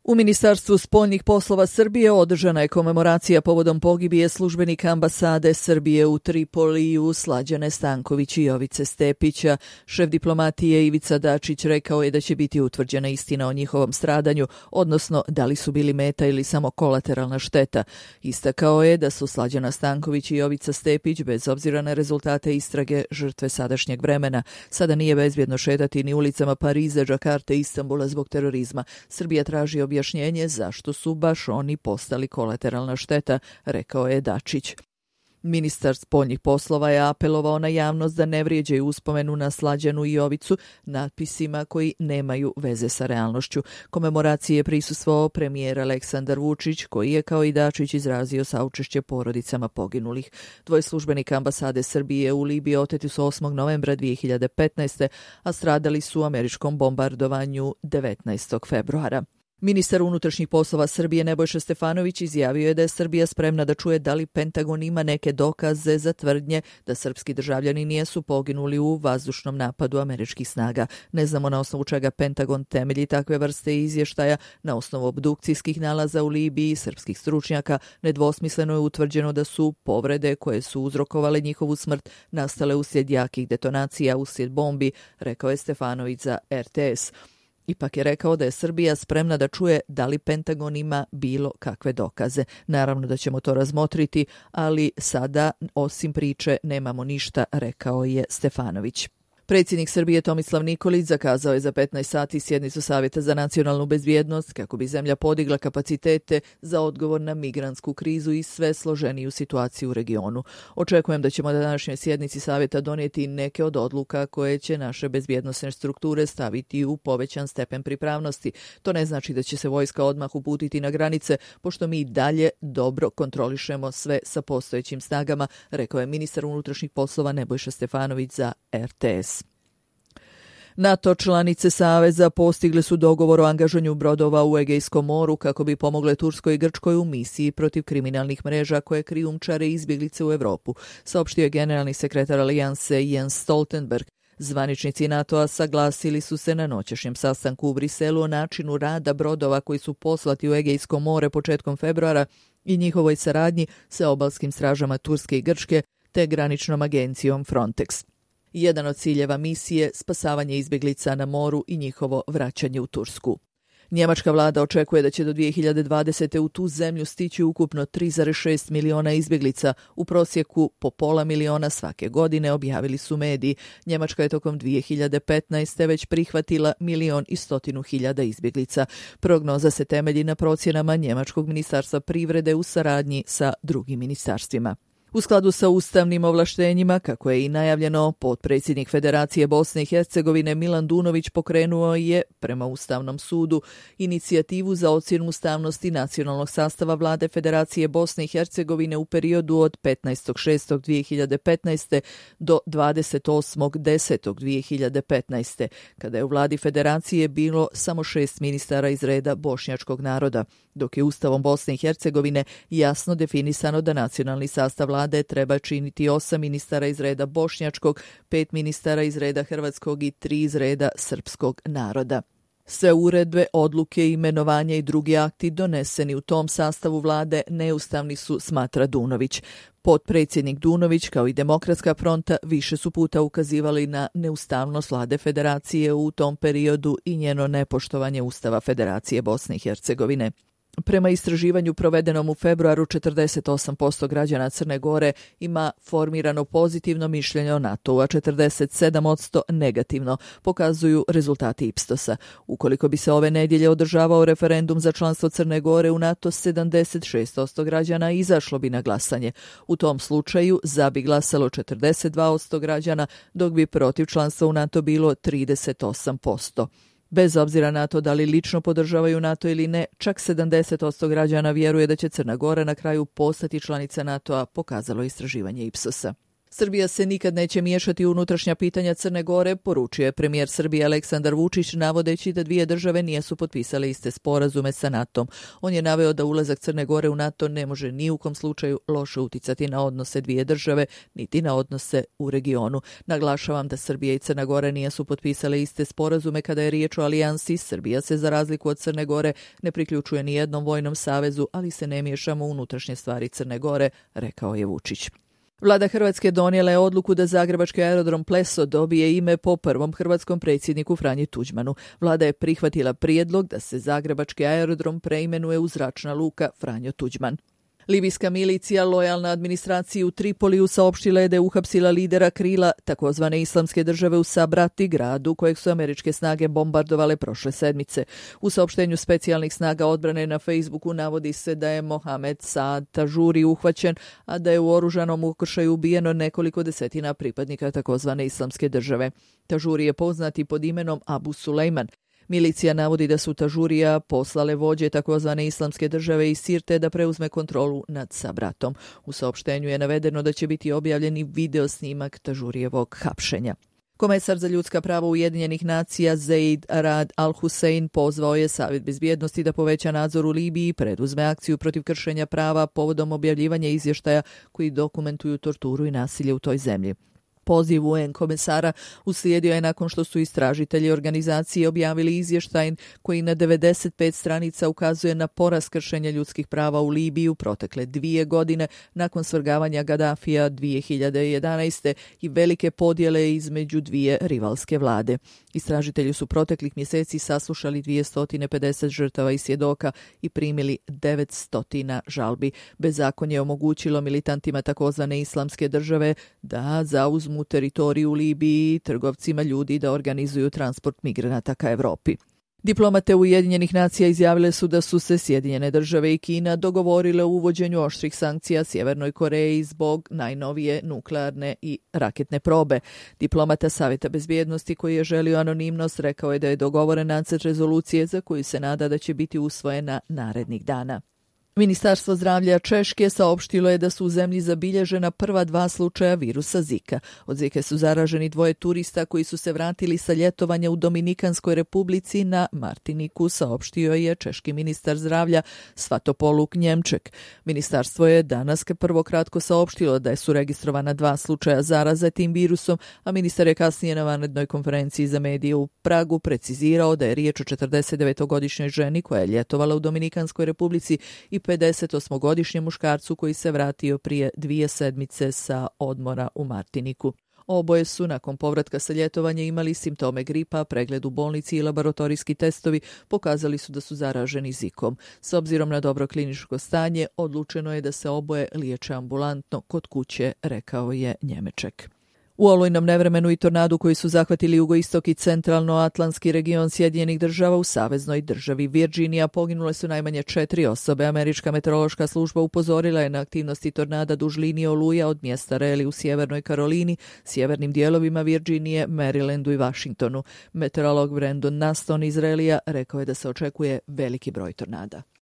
U Ministarstvu spoljnih poslova Srbije održana je komemoracija povodom pogibije službenika ambasade Srbije u Tripoliju Slađane Stanković i Jovice Stepića. Šef diplomatije Ivica Dačić rekao je da će biti utvrđena istina o njihovom stradanju, odnosno da li su bili meta ili samo kolateralna šteta. Istakao je da su Slađana Stanković i Jovica Stepić, bez obzira na rezultate istrage, žrtve sadašnjeg vremena. Sada nije bezbjedno šetati ni ulicama Pariza, Džakarte i Istanbula zbog terorizma. Srbija traži objašnjenje zašto su baš oni postali kolateralna šteta, rekao je Dačić. Ministar spoljnih poslova je apelovao na javnost da ne vrijeđaju uspomenu na Slađanu i Jovicu natpisima koji nemaju veze sa realnošću. Komemoraciji je prisustvovao premijer Aleksandar Vučić, koji je kao i Dačić izrazio saučešće porodicama poginulih. Dvoje službenika ambasade Srbije u Libiji oteti su 8. novembra 2015. a stradali su u američkom bombardovanju 19. februara. Ministar unutrašnjih poslova Srbije Nebojša Stefanović izjavio je da je Srbija spremna da čuje da li Pentagon ima neke dokaze za tvrdnje da srpski državljani nisu poginuli u vazdušnom napadu američkih snaga. Ne znamo na osnovu čega Pentagon temelji takve vrste izvještaja. Na osnovu obdukcijskih nalaza u Libiji srpskih stručnjaka nedvosmisleno je utvrđeno da su povrede koje su uzrokovale njihovu smrt nastale uslijed jakih detonacija, uslijed bombi, rekao je Stefanović za RTS. Ipak je rekao da je Srbija spremna da čuje da li Pentagon ima bilo kakve dokaze. Naravno da ćemo to razmotriti, ali sada osim priče nemamo ništa, rekao je Stefanović. Predsjednik Srbije Tomislav Nikolić zakazao je za 15 sati sjednicu Savjeta za nacionalnu bezbjednost kako bi zemlja podigla kapacitete za odgovor na migrantsku krizu i sve složeniju situaciju u regionu. Očekujem da ćemo na današnjoj sjednici Savjeta donijeti neke od odluka koje će naše bezbjednosne strukture staviti u povećan stepen pripravnosti. To ne znači da će se vojska odmah uputiti na granice, pošto mi dalje dobro kontrolišemo sve sa postojećim snagama, rekao je ministar unutrašnjih poslova Nebojša Stefanović za RTS. NATO članice Saveza postigle su dogovor o angažovanju brodova u Egejskom moru kako bi pomogle Turskoj i Grčkoj u misiji protiv kriminalnih mreža koje krijumčare izbjeglice u Europu, saopštio je generalni sekretar Alijanse Jens Stoltenberg. Zvaničnici NATO-a saglasili su se na noćašnjem sastanku u Briselu o načinu rada brodova koji su poslati u Egejsko more početkom februara i njihovoj saradnji sa obalskim stražama Turske i Grčke te graničnom agencijom Frontex. Jedan od ciljeva misije spasavanje izbjeglica na moru i njihovo vraćanje u Tursku. Njemačka vlada očekuje da će do 2020. u tu zemlju stići ukupno 3,6 miliona izbjeglica, u prosjeku po pola miliona svake godine, objavili su mediji. Njemačka je tokom 2015. već prihvatila 1.100.000 izbjeglica. Prognoza se temelji na procjenama Njemačkog ministarstva privrede u saradnji sa drugim ministarstvima. U skladu sa ustavnim ovlaštenjima, kako je i najavljeno, potpredsjednik Federacije Bosne i Hercegovine Milan Dunović pokrenuo je, prema Ustavnom sudu, inicijativu za ocjenu ustavnosti nacionalnog sastava vlade Federacije Bosne i Hercegovine u periodu od 15.6.2015. do 28.10.2015. kada je u vladi Federacije bilo samo 6 ministara iz reda bošnjačkog naroda, dok je Ustavom Bosne i Hercegovine jasno definisano da nacionalni sastav vlade treba činiti 8 ministara iz reda bošnjačkog, 5 ministara iz reda hrvatskog i 3 iz reda srpskog naroda. Sve uredbe, odluke, imenovanja i drugi akti doneseni u tom sastavu vlade neustavni su, smatra Dunović. Potpredsjednik Dunović kao i Demokratska fronta više su puta ukazivali na neustavnost vlade Federacije u tom periodu i njeno nepoštovanje Ustava Federacije Bosne i Hercegovine. Prema istraživanju provedenom u februaru, 48% građana Crne Gore ima formirano pozitivno mišljenje o NATO-u, a 47% negativno, pokazuju rezultati Ipsosa. Ukoliko bi se ove nedjelje održavao referendum za članstvo Crne Gore u NATO, 76% građana izašlo bi na glasanje. U tom slučaju za bi glasalo 42% građana, dok bi protiv članstva u NATO bilo 38%. Bez obzira na to da li lično podržavaju NATO ili ne, čak 70% građana vjeruje da će Crna Gora na kraju postati članica NATO-a, pokazalo istraživanje Ipsosa. Srbija se nikad neće miješati u unutrašnja pitanja Crne Gore, poručio je premijer Srbije Aleksandar Vučić, navodeći da dvije države nisu potpisale iste sporazume sa NATO-om. On je naveo da ulazak Crne Gore u NATO ne može ni u kom slučaju loše uticati na odnose dvije države, niti na odnose u regionu. Naglašavam da Srbija i Crna Gora nisu potpisale iste sporazume kada je riječ o alijansi. Srbija se za razliku od Crne Gore ne priključuje ni jednom vojnom savezu, ali se ne miješamo u unutrašnje stvari Crne Gore, rekao je Vučić. Vlada Hrvatske donijela je odluku da zagrebački aerodrom Pleso dobije ime po prvom hrvatskom predsjedniku Franji Tuđmanu. Vlada je prihvatila prijedlog da se zagrebački aerodrom preimenuje u Zračna luka Franjo Tuđman. Libijska milicija lojalna administraciji u Tripoliju saopštila je da je uhapsila lidera krila takozvane islamske države u Sabrati, gradu kojeg su američke snage bombardovale prošle sedmice. U saopštenju specijalnih snaga odbrane na Facebooku navodi se da je Mohamed Saad Tažuri uhvaćen, a da je u oružanom ukršaju ubijeno nekoliko desetina pripadnika takozvane islamske države. Tažuri je poznat i pod imenom Abu Sulejman. Milicija navodi da su Tažurija poslale vođe takozvane islamske države iz Sirte da preuzme kontrolu nad Sabratom. U saopštenju je navedeno da će biti objavljeni video snimak Tažurijevog hapšenja. Komesar za ljudska prava Ujedinjenih nacija Zeid Rad al-Hussein pozvao je Savjet bezbjednosti da poveća nadzor u Libiji i preduzme akciju protiv kršenja prava povodom objavljivanja izvještaja koji dokumentuju torturu i nasilje u toj zemlji. Poziv UN komesara uslijedio je nakon što su istražitelji organizacije objavili izvještaj koji na 95 stranica ukazuje na porast kršenja ljudskih prava u Libiji u protekle 2 godine nakon svrgavanja Gaddafija 2011. i velike podjele između dvije rivalske vlade. Istražitelji su proteklih mjeseci saslušali 250 žrtava i svjedoka i primili 900 žalbi. Bezakonje je omogućilo militantima takozvane islamske države da zauzmu teritoriju u Libiji i trgovcima ljudi da organizuju transport migranata ka Europi. Diplomate Ujedinjenih nacija izjavile su da su se Sjedinjene države i Kina dogovorile o uvođenju oštrih sankcija Sjevernoj Koreji zbog najnovije nuklearne i raketne probe. Diplomata Savjeta bezbjednosti koji je želio anonimnost rekao je da je dogovoren nacrt rezolucije za koju se nada da će biti usvojena narednih dana. Ministarstvo zdravlja Češke saopštilo je da su u zemlji zabilježena prva 2 slučaja virusa Zika. Od Zike su zaraženi 2 turista koji su se vratili sa ljetovanja u Dominikanskoj republici na Martiniku, saopštio je češki ministar zdravlja Svatopoluk Njemček. Ministarstvo je danas prvo kratko saopštilo da su registrovana 2 slučaja zaraze tim virusom, a ministar je kasnije na vanrednoj konferenciji za medije u Pragu precizirao da je riječ o 49-godišnjoj ženi koja je ljetovala u Dominikanskoj republici i 58-godišnjem muškarcu koji se vratio prije 2 sedmice sa odmora u Martiniku. Oboje su nakon povratka sa ljetovanja imali simptome gripa, pregled u bolnici i laboratorijski testovi pokazali su da su zaraženi Zikom. S obzirom na dobro kliničko stanje, odlučeno je da se oboje liječe ambulantno kod kuće, rekao je Njemeček. U olujnom nevremenu i tornadu koji su zahvatili jugoistok i centralno-atlantski region Sjedinjenih država u saveznoj državi Virginija poginule su najmanje 4 osobe. Američka meteorološka služba upozorila je na aktivnosti tornada duž linije oluja od mjesta Raleigh u Sjevernoj Karolini, sjevernim dijelovima Virginije, Marylandu i Washingtonu. Meteorolog Brandon Naston iz Raleigha rekao je da se očekuje veliki broj tornada.